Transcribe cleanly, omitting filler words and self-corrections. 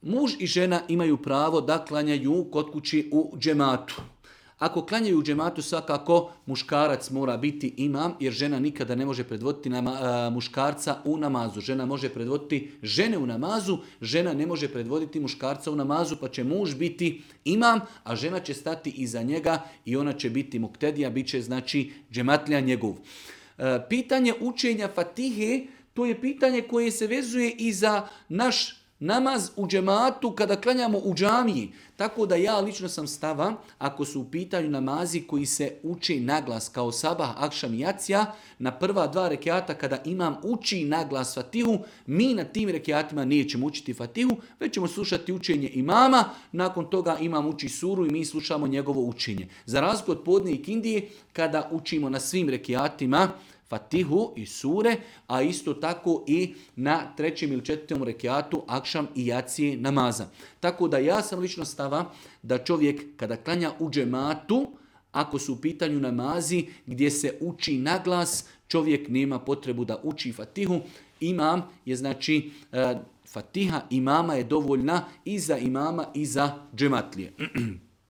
muž i žena imaju pravo da klanjaju kod kući u džematu. Ako klanjaju u džematu, svakako muškarac mora biti imam, jer žena nikada ne može predvoditi muškarca u namazu. Žena može predvoditi žene u namazu, žena ne može predvoditi muškarca u namazu, pa će muž biti imam, a žena će stati iza njega i ona će biti muktedija, bit će znači džematlija njegov. Pitanje učenja Fatihe, to je pitanje koje se vezuje i za naš namaz u džematu kada klanjamo u džamiji. Tako da ja lično sam stava, ako su u pitanju namazi koji se uči naglas kao sabah, akšam i jacija, na prva 2 rekiata kada imam uči naglas Fatihu, mi na tim rekiatima nećemo učiti Fatihu, već ćemo slušati učenje imama, nakon toga imam uči suru i mi slušamo njegovo učenje. Za razliku od podne i kindije, kada učimo na svim rekiatima Fatihu i sure, a isto tako i na 3. ili 4. rekiatu akšam i jacije namaza. Tako da ja sam lično stava da čovjek kada klanja u džematu, ako su u pitanju namazi gdje se uči naglas, čovjek nema potrebu da uči Fatihu. Imam je znači Fatiha imama je dovoljna i za imama i za džematlije.